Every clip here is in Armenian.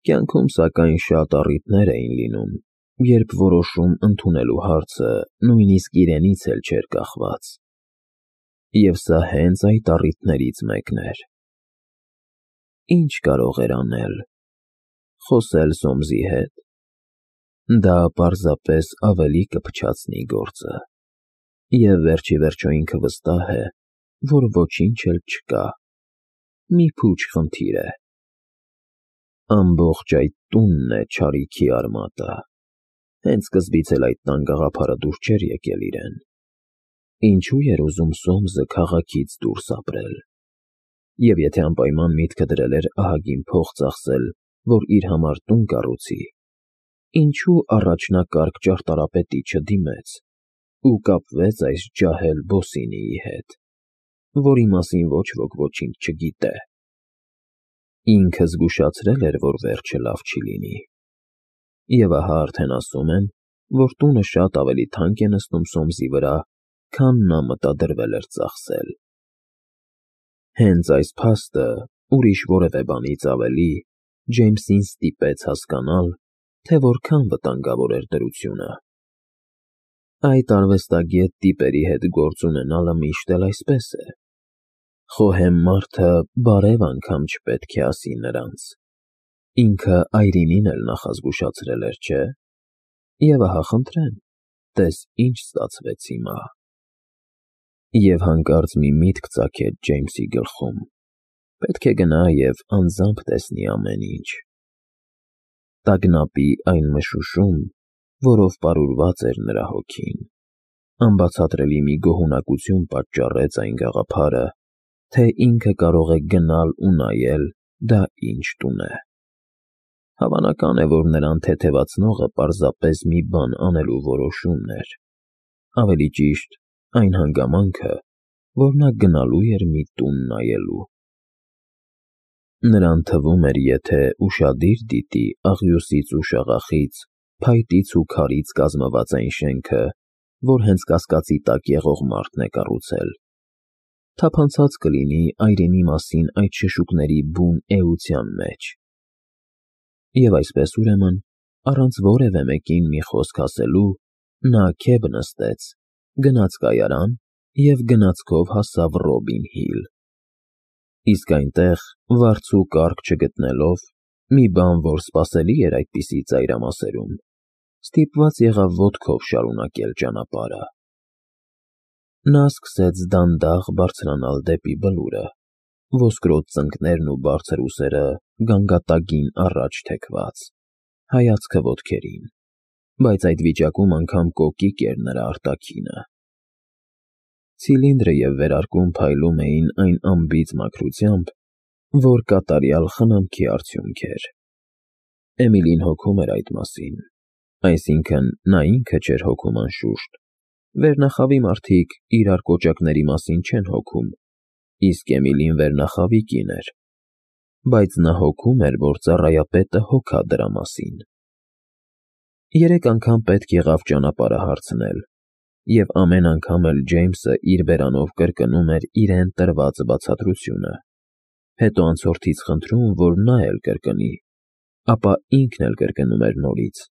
Կյանքում, սակայն, շատ առիթներ էին լինում, երբ որոշում ընդունելու հարցը նույնիսկ իրենից էլ չէր կախված։ Եվ սա հենց այդ առիթներից մեկն էր։ Ինչ կարող էր անել։ Խոսել Սոմսի հետ։ Դա պարզապես ավելի կփչացնի գործը։ Եվ վերջիվերջո ինքը վստահ է, որ ոչինչ էլ չկա։ Մի փուչ խնդիր է։ Ամբողջ այդ տունն է չարիքի արմատը։ Հենց սկզբից էլ այդ տան գաղափարը դուր չէր եկել իրեն։ Ինչու էր ուզում Սոմսը քաղաքից դուրս ապրել։ Եվ եթե անպայման միտքը դրել էր ահագին փող ծախսել, որ իր համար տուն կառուցի, ինչու առաջնակարգ ճարտարապետի չդիմեց ու կապվեց այս ջահել Բոսինիի հետ, որի մասին ոչ ոք ոչինչ չգիտե։ Ինքը զգուշացրել էր, որ վերջը լավ չի լինի։ Եվ ահա արդեն ասում են, որ տունը շատ ավելի թանկ է նստում Սոմսի վրա, քան նա մտադրվել էր ծախսել։ Հենց այս փաստը, ուրիշ որևէ բանից ավելի, Ջեյմսին ստիպեց հասկանալ, թե որքան վտանգավոր էր դրությունը։ Այդ արվեստագետ տիպերի հետ գործ ունենալը միշտ էլ այսպես է։ Խոհեմ մարդը բարև անգամ չպետք է ասի նրանց։ Ինքը Այրինին էլ նախազգուշացրել էր, չէ՞։ Եվ ահա խնդրեմ, տես ինչ ստացվեց հիմա։ Եվ հանկարծ մի միտք ծագեց Ջեյմսի գլխում։ Պետք է գնա և անձամբ տեսնի ամեն ինչ։ Տագնապի այն մշուշում, որով պարուրված էր նրա հոգին, անբացատրելի մի գոհունակություն պատճառեց այն գաղափարը, թե ինքը կարող է գնալ ու նայել դա ինչ տուն է։ Հավանական է, որ նրան թեթևացնողը պարզապես մի բան անելու որոշումն էր։ Ավելի ճիշտ, այն հանգամանքը, որ նա գնալու էր մի տուն նայելու։ Նրան թվում էր, եթե ուշադիր դիտի աղյուսից ու շաղախից, փայտից ու քարից կազմված այն շենքը, որ հենց կասկածի տակ եղող մարդն է կառուցել, թափանցած կլինի Այրենի մասին այդ շշուկների բուն էության մեջ։ Եվ այսպես ուրեմն, առանց որևէ մեկին մի խոսք ասելու, նա քեբ նստեց, գնաց կայարան և գնացքով հասավ Ռոբին Հիլ։ Իսկ այնտեղ, վարձ ու կառք չգտնելով, մի բան, որ սպասելի էր այդպիսի ծայրամասերում, ստիպված եղավ ոտքով շարունակել ճանապարհը։ Նա սկսեց դանդաղ բարձրանալ դեպի բլուրը, ոսկրոտ ծնկներն ու բարձր ուսերը գանգատագին առաջ թեքված, հայացքը ոտքերին, բայց այդ վիճակում անգամ կոկիկ էր նրա արտաքինը։ Ցիլինդրը և վերարկուն փայլում էին այն անբիծ մաքրությամբ, որ կատարյալ խնամքի արդյունք էր։ Էմիլին հոգում էր այդ մասին, այսինքն նա ինքը չէր հոգում անշուշտ, վերնախավի մարդիկ իրար կոճակների մասին չեն հոգում, իսկ Էմիլին վերնախավի կին էր, բայց նա հոգում էր, որ ծառայապետը հոգա դրա մասին։ 3 անգամ պետք եղավ ճանապարհը հարցնել, և ամեն անգամ էլ Ջեյմսը իր բերանով կրկնում էր իրեն տրված բացատրությունը, հետո անցորդից խնդրում, որ նա էլ կրկնի, ապա ինքն էլ կրկնում էր նորից,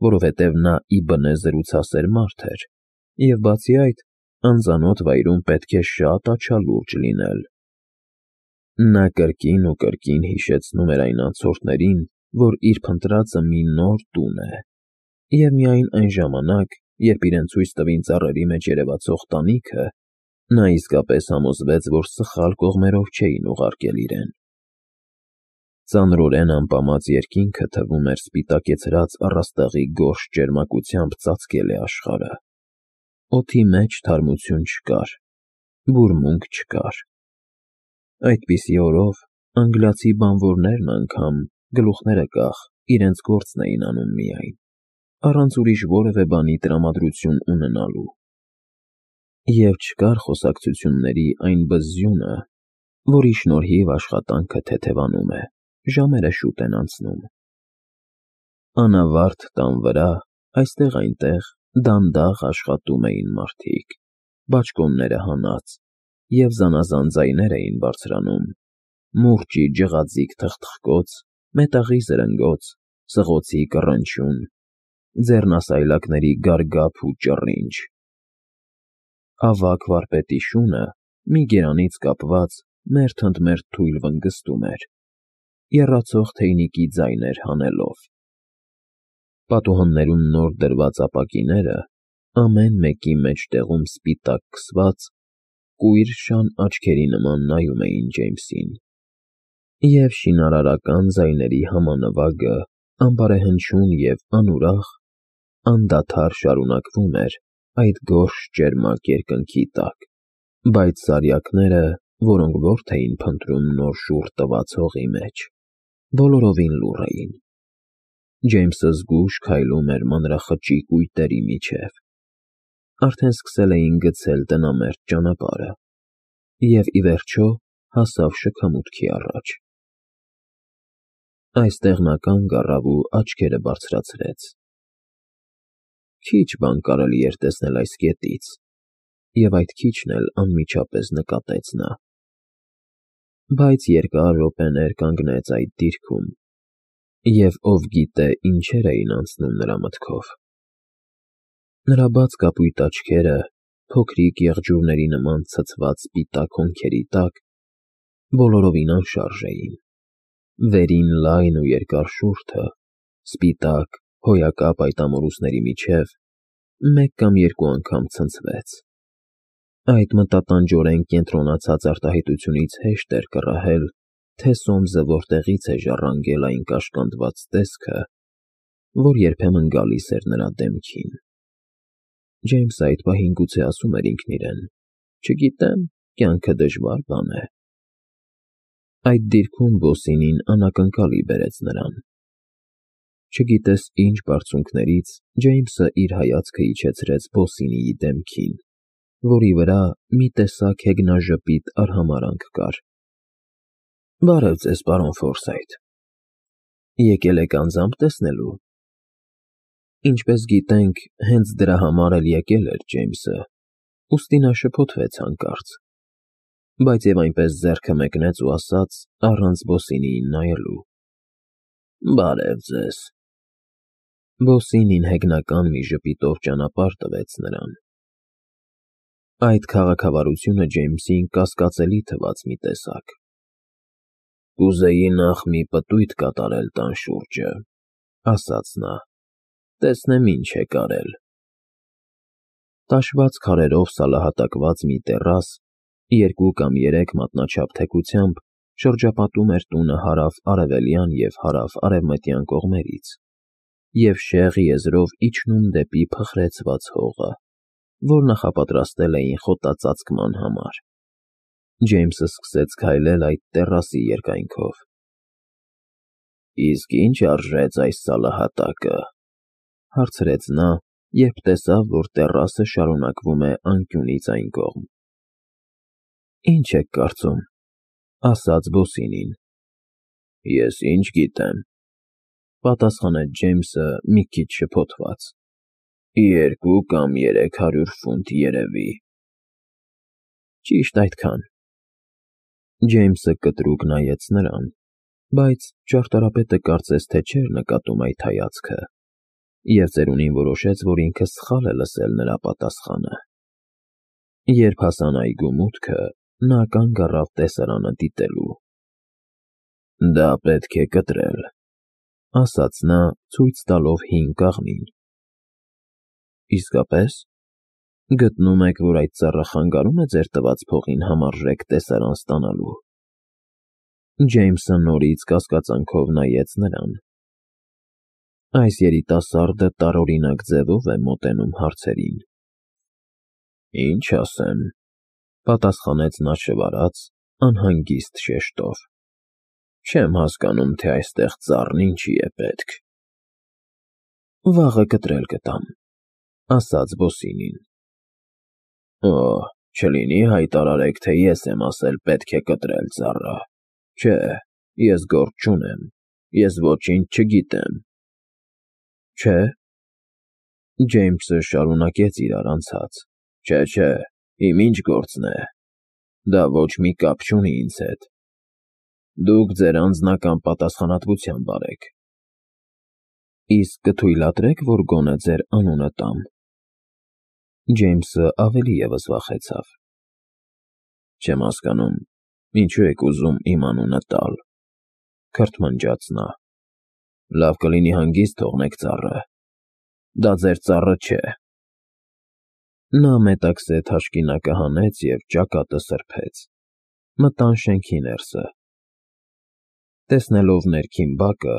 որովհետև նա ի բնե զրուցասեր մարդ էր, և բացի այդ, անծանոթ վայրում պետք է շատ աչալուրջ լինել։ Նա կրկին ու կրկին հիշեցնում էր այն անցորդներին, որ իր փնտրածը մի նոր տուն է, և միայն այն ժամանակ, երբ իրեն ցույց տվին ծառերի մեջ երևացող տանիքը, նա իսկապես համոզվեց, որ սխալ կողմերով չէին ուղարկել իրեն։ Ծանրորեն ամպամած երկինքը թվում էր սպիտակեցրած առաստաղի գորշ ճերմակությամբ ծածկել է աշխարհը։ Օդի մեջ թարմություն չկար, բուրմունք չկար։ Այդպիսի օրով անգլիացի բանվորներն անգամ, գլուխները կախ, իրենց գործն էին անում միայն, առանց ուրիշ որևէ բանի տրամադրություն ունենալու։ Եվ չկար խոսակցությունների այն բզզյունը, որի շնորհիվ աշխատանքը թեթևանում է, ժամերը շուտ են անցնում։ Անավարտ տան վրա, այստեղ-այնտեղ դանդաղ աշխատում էին մարդիկ, բաճկոնները հանած, և զանազան ձայներ էին բարձրանում՝ մուրճի ջղաձիգ թխթխկոց, մետաղի զրնգոց, սղոցի կռնչյուն, ձեռնասայլակների գարգափ ու ճռինչ։ Ավագ վարպետի շունը, մի գերանից կապված, մերթ ընդ մերթ թույլ վնգստում էր, եռացող թեյնիկի ձայներ հանելով։ Պատուհաններում նոր դրված ապակիները, ամեն մեկի մեջտեղում սպիտակ քսված, կույր շան աչքերի նման նայում էին Ջեյմսին, և շինարարական ձայների համանվագը անբարեհնչյուն և անուրախ, անդադար շարունակվում էր այդ գորշ ճերմակ երկնքի տակ, բայց սարյակները, որոնք որդի էին փնտրում նոր շուռ տված հողի մեջ, բոլորովին լուռ էին։ Ջեյմսը զգույշ քայլում էր մանրախճի կույտերի միջև, արդեն սկսել էին գցել տնամերձ ճանապարհը, և ի վերջո հասավ շքամուտքի առաջ։ Այստեղ նա կանգ առավ ու աչքերը բարձրացրեց։ Քիչ բան կարելի էր տեսնել այս կետից, և այդ քիչն էլ անմիջապես նկատեց նա։ Բայց երկար րոպեներ կանգնեց այդ դիրքում, և ով գիտե ինչեր էին անցնում նրա մտքով։ Նրա բաց կապույտ աչքերը, փոքրիկ եղջյուրների նման ցցված սպիտակ հոնքերի տակ, բոլորովին անշարժ էին։ Վերին լայն ու երկար շուրթը, սպիտակ, հոյակապ այդ ամորուսների միջև, մեկ կամ երկու անգամ ցնցվեց։ Այդ մտատանջորեն կենտրոնացած արտահայտությունից հեշտ էր կռահել, թե Սոմսը որտեղից է ժառանգել այն կաշկանդված տեսքը, որ երբեմն գալիս էր նրա դեմքին։ Ջեյմսը այդ պահին գուցե ասում էր ինքն իրեն. «Չգիտեմ, կյանքը դժվար բան է»։ Այդ դիրքում Բոսինին անակնկալի բերեց նրան։ Չգիտես ինչ բարձունքներից Ջեյմսը իր հայացքը իջեցրեց Բոսինիի դեմքին, որի վրա մի տեսակ հեգնաժպիտ արհամարհանք կար։ «Բարև ձեզ, պարոն Ֆորսայթ, եկել եք անձամբ տեսնելու»։ Ինչպես գիտենք, հենց դրա համար էլ եկել էր Ջեյմսը, ուստի նա շփոթվեց հանկարծ, բայց և այնպես ձեռքը մեկնեց ու ասաց, առանց Բոսինիին նայելու. «Բարև ձեզ»։ Բոսինին հեգնական մի ժպիտով ճանապարհ տվեց նրան։ Այդ քաղաքավարությունը Ջեյմսին կասկածելի թվաց մի տեսակ։ «Կուզեի նախ մի պտույտ կատարել տան շուրջը», ասաց նա, «տեսնեմ ինչ եք արել»։ Տաշված քարերով սալահատակված մի տեռաս, 2 կամ 3 մատնաչափ թեքությամբ, շրջապատում էր տունը հարավ֊արևելյան և հարավ֊արևմտյան կողմերից, և շեղ եզրով իջնում դեպի փխրեցված հողը, որ նախապատրաստել էին խոտածածկման համար։ Ջեյմսը սկսեց քայլել այդ տեռասի երկայնքով։ «Իսկ ինչ արժեց այս սալահատակը», հարցրեց նա, երբ տեսավ, որ տեռասը շարունակվում է անկյունից այն կողմ։ «Ինչ եք կարծում», ասաց Բոսինին։ «Ես ինչ գիտեմ», պատասխանեց Ջեյմսը մի քիչ շփոթված։ 2 կամ 300 ֆունտ երևի»։ «Ճիշտ այդքան»։ Ջեյմսը կտրուկ նայեց նրան, բայց ճարտարապետը կարծես թե չէր նկատում այդ հայացքը, և ծերունին որոշեց, որ ինքը սխալ է լսել նրա պատասխանը։ Երբ հասան այգու մուտքը, նա կանգ առավ տեսարանը դիտելու։ «Դա պետք է կտրել», ասաց նա, ցույց տալով հին կաղնին։ «Իսկապես, գտնում եք, որ այդ ծառը խանգարում է ձեր տված փողին համարժեք տեսարան ստանալու»։ Ջեյմսը նորից կասկածանքով նայեց նրան։ Այս երիտասարդը տարօրինակ ձևով է մոտենում հարցերին։ «Ինչ ասեմ», պատասխանեց նա շվարած, անհանգիստ շեշտով։ «Չեմ հասկանում, թե այստեղ ծառն ինչի է պետք»։ «Վաղը կտրել կտամ», ասաց Բոսինին։ «Օ, չլինի հայտարարեք, թե ես եմ ասել պետք է կտրել ծառը։ Չէ, ես գործ չունեմ, ես ոչինչ չգիտեմ»։ «Չէ՞», Ջեյմսը շարունակեց իր առանցած։ Չէ, իմ ինչ գործն է։ Դա ոչ մի կապ չունի ինձ հետ։ Դուք ձեր անձնական պատասխանատվությամբ արեք։ Իսկ կթույլատրեք, որ գոնե ձեր անունը տամ։ Ջեյմսը ավելի ևս վախեցավ։ Չեմ հասկանում, ինչու եք ուզում իմ անունը տալ, քրթմնջաց նա։ Լավ կլինի հանգիստ թողնեք ծառը։ Դա ձեր ծառը չէ։ Նա մետաքսե թաշկինակը հանեց և ճակատը սրբեց։ Մտան շենքի ներսը։ Տեսնելով ներքին բակը,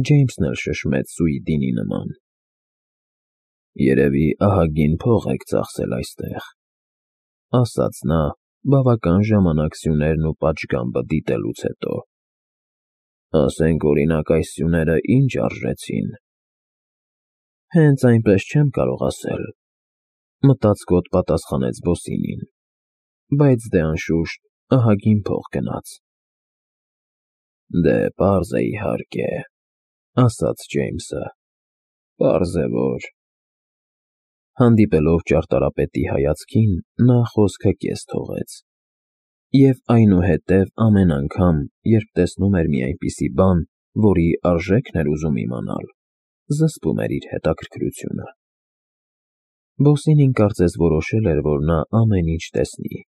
Ջեյմսն էլ շշմեց Սուիդինի նման։ Երևի ահագին փող եք ծախսել այստեղ, ասաց նա բավական ժամանակ սյուներն ու պատշգամբը դիտելուց հետո։ Ասենք օրինակ այս սյուները ինչ արժեցին։ Հենց այնպես չեմ կարող ասել, մտածկոտ պատասխանեց Բոսինին, բայց դե անշուշտ ահագին փող գնաց։ Դե պարզ է իհարկե, ասաց Ջեյմսը, պարզ է որ… Հանդիպելով ճարտարապետի հայացքին, նա խոսքը կես թողեց։ Եվ այնուհետև ամեն անգամ, երբ տեսնում էր մի այնպիսի բան, որի արժեքն էր ուզում իմանալ, զսպում էր իր հետաքրքրությունը։ Բոսինին կարծես որոշել էր, որ նա ամեն ինչ տեսնի,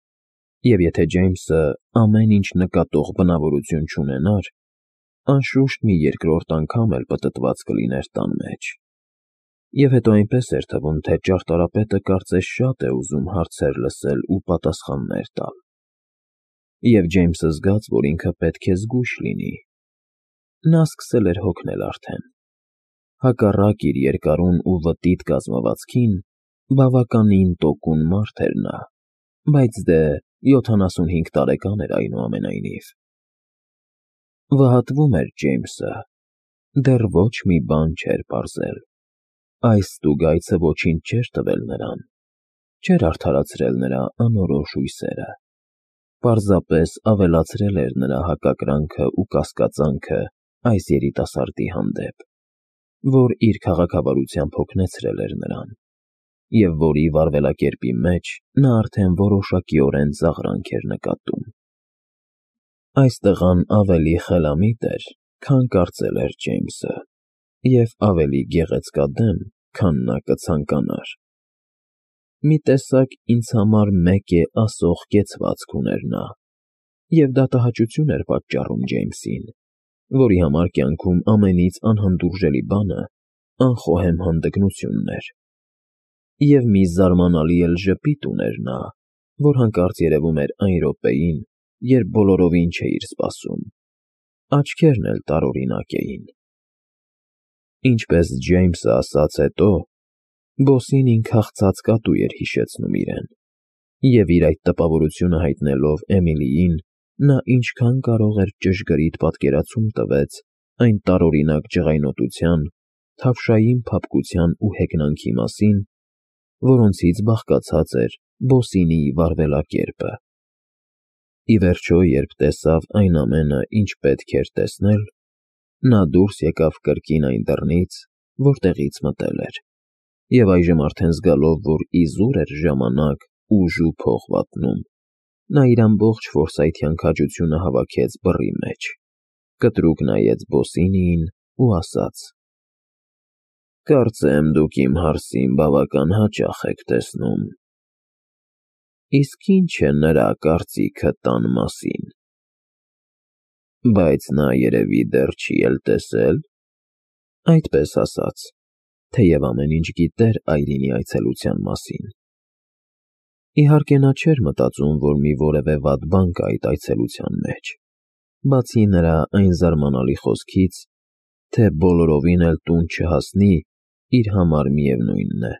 և եթե Ջեյմսը ամեն ինչ նկատող բնավորություն չունենար, անշուշտ մի երկրորդ անգամ էլ պտտված կլիներ տան մեջ։ Եվ հետո այնպես էր թվում, թե ճարտարապետը կարծես շատ է ուզում հարցեր լսել ու պատասխաններ տալ։ Եվ Ջեյմսը զգաց, որ ինքը պետք է զգույշ լինի։ Նա սկսել էր հոգնել արդեն։ Հակառակ իր երկարուն ու վտիտ կազմվածքին, բավականին տոկուն մարդ էր նա, բայց դե 75 տարեկան էր այնուամենայնիվ։ Վհատվում էր Ջեյմսը։ Դեռ ոչ մի բան չէր պարզել։ Այս ստուգայցը ոչինչ չէր տվել նրան, չէր արդարացրել նրա անորոշ հույսերը, պարզապես ավելացրել էր նրա հակակրանքը ու կասկածանքը այս երիտասարդի հանդեպ, որ իր քաղաքավարությամբ հոգնեցրել էր նրան, և որի վարվելակերպի մեջ նա արդեն որոշակիորեն ծաղրանք էր նկատում։ Այս տղան ավելի խելամիտ էր, քան կարծել էր Ջեյմսը, և ավելի գեղեցկադեմ, քան նա կցանկանար։ Մի տեսակ ինձ համար մեկ է ասող կեցվածք ուներ նա, և դա տհաճություն էր պատճառում Ջեյմսին, որի համար կյանքում ամենից անհանդուրժելի բանը անխոհեմ հանդգնությունն էր։ Եվ մի զարմանալի էլ ժպիտ ուներ նա, որ հանկարծ երևում էր այն րոպեին, երբ բոլորովին չէիր սպասում, աչքերն էլ տարօրինակ էին։ Ինչպես Ջեյմսը ասաց հետո, Բոսինին քաղցած կատու էր հիշեցնում իրեն, և իր այդ տպավորությունը հայտնելով Էմիլիին, նա ինչքան կարող էր ճշգրիտ պատկերացում տվեց այն տարօրինակ ջղայնոտության, թավշային փափկության ու հեգնանքի մասին, որոնցից բաղկացած էր Բոսինիի վարվելակերպը։ Ի վերջո, երբ տեսավ այն ամենը, ինչ պետք էր տեսնել, նա դուրս եկավ կրկին այն դռնից, որտեղից մտել էր, և այժմ արդեն զգալով, որ իզուր էր ժամանակ, ուժ ու փող վատնում, նա իր ամբողջ ֆորսայթյան քաջությունը հավաքեց բռի մեջ, կտրուկ նայեց Բոսինիին ու ասաց. «Կարծեմ, դուք իմ հարսին բավական հաճախ եք տեսնում։ Իսկ ի՞նչ է նրա կարծիքը տան մասին։ Բայց նա երևի դեռ չի էլ տեսել»։ Այդպես ասաց, թեև ամեն ինչ գիտեր Այրինի այցելության մասին։ Իհարկե նա չէր մտածում, որ մի որևէ վատ բան կա այդ այցելության մեջ, բացի նրա այն զարմանալի խոսքից, թե բոլորովին էլ տուն չհասնի, իր համար միևնույնն է,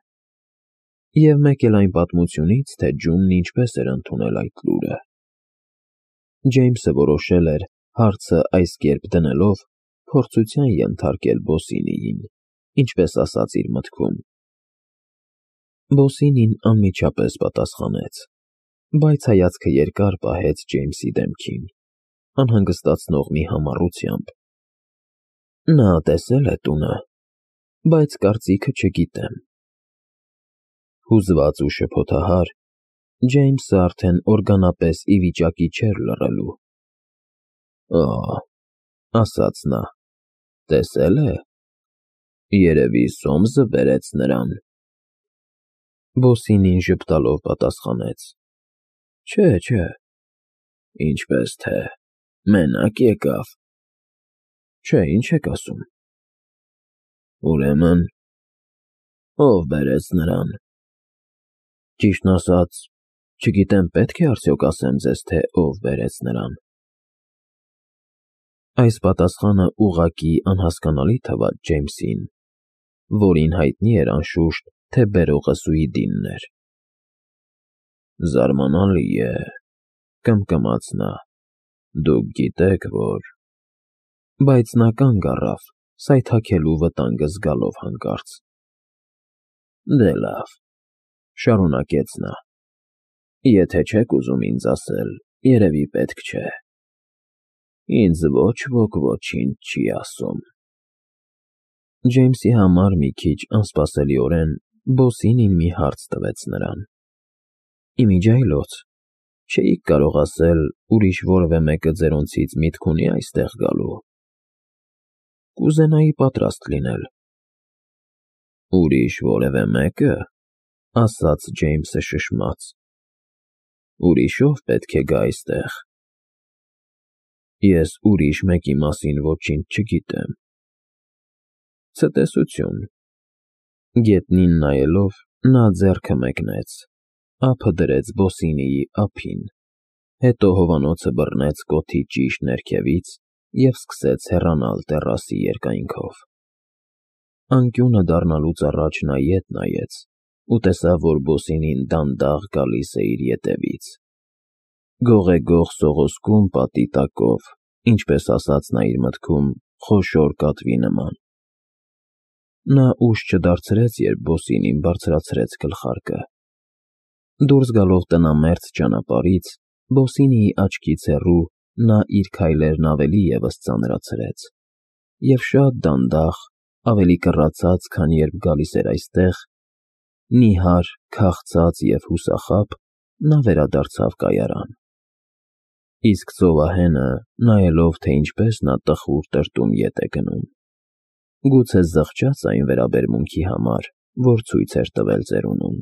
և մեկ էլ այն պատմությունից, թե Ջունն ինչպես էր ընդունել այդ լուրը։ Ջեյմսը որոշել էր, հարցը այս կերպ դնելով, փորձության ենթարկել Բոսինիին, ինչպես ասաց իր մտքում։ Բոսինին անմիջապես պատասխանեց, բայց հայացքը երկար պահեց Ջեյմսի դեմքին, անհանգստացնող մի համառությամբ։ Նա տեսել է տունը, բայց կարծիքը չգիտեմ։ Հուզված ու շփոթահար, Ջեյմսը արդեն օրգանապես ի վիճակի չէր լռելու։ Ահ, ասաց նա, տեսել է, երևի Սոմսը բերեց նրան։ Բոսինին ժպտալով պատասխանեց. Չէ, ինչպես թե, մենակ եկավ։ Չէ, ինչ եք ասում։ Ուրեմն, ով բերեց նրան։ Ճիշտն ասած, չգիտեմ պետք է արդյոք ասեմ ձեզ, թե ով բերեց նրան։ Այս պատասխանը ուղղակի անհասկանալի թվաց Ջեյմսին, որին հայտնի էր անշուշտ, թե բերողը Սուիդինն էր։ Զարմանալի է, կմկմաց նա, դուք գիտեք, որ… Բայց նա կանգ առավ, սայթաքելու վտանգը զգալով հանկարծ։ Դե լավ, շարունակեց նա, եթե չեք ուզում ինձ ասել, երևի պետք չէ։ Ինձ ոչ ոք ոչինչ չի ասում։ Ջեյմսի համար մի քիչ անսպասելիորեն Բոսինին մի հարց տվեց նրան։ Իմիջիայլոց, չէիք կարող ասել, ուրիշ որևէ մեկը ձերոնցից միտք ունի այստեղ գալու։ Կուզենայի պատրաստ լինել։ Ուրիշ որևէ մեկը, ասաց Ջեյմսը շշմած։ Ուրիշով պետք է գա այստեղ։ Ես ուրիշ մեկի մասին ոչինչ չգիտեմ։ Ցտեսություն։ Գետնին նայելով, նա ձեռքը մեկնեց, ափը դրեց Բոսինիի ափին, հետո հովանոցը բռնեց կոթի ճիշտ ներքևից և սկսեց հեռանալ տեռասի երկայնքով։ Անկյունը դառնալուց առաջ նա ետ նայեց ու տեսավ, որ Բոսինին դանդաղ գալիս է իր ետևից։ Գողեգող սողոսկում պատի տակով, ինչպես ասաց նա իր մտքում, խոշոր կատվի նման։ Նա ուշ չդարձրեց, երբ Բոսինին բարձրացրեց գլխարկը։ Դուրս գալով տնամերձ ճանապարհից, Բոսինիի աչքից հեռու նա իր քայլերն ավելի ևս ծանրացրեց և շատ դանդաղ, ավելի կռացած, քան երբ գալիս էր այստեղ, նիհար, քաղցած և հուսախաբ, նա վերադարձավ կայարան։ Իսկ ծովահենը, նայելով, թե ինչպես նա տխուր տրտում ետ է գնում, գուցե զղջաց այն վերաբերմունքի համար, որ ցույց էր տվել ծերունուն։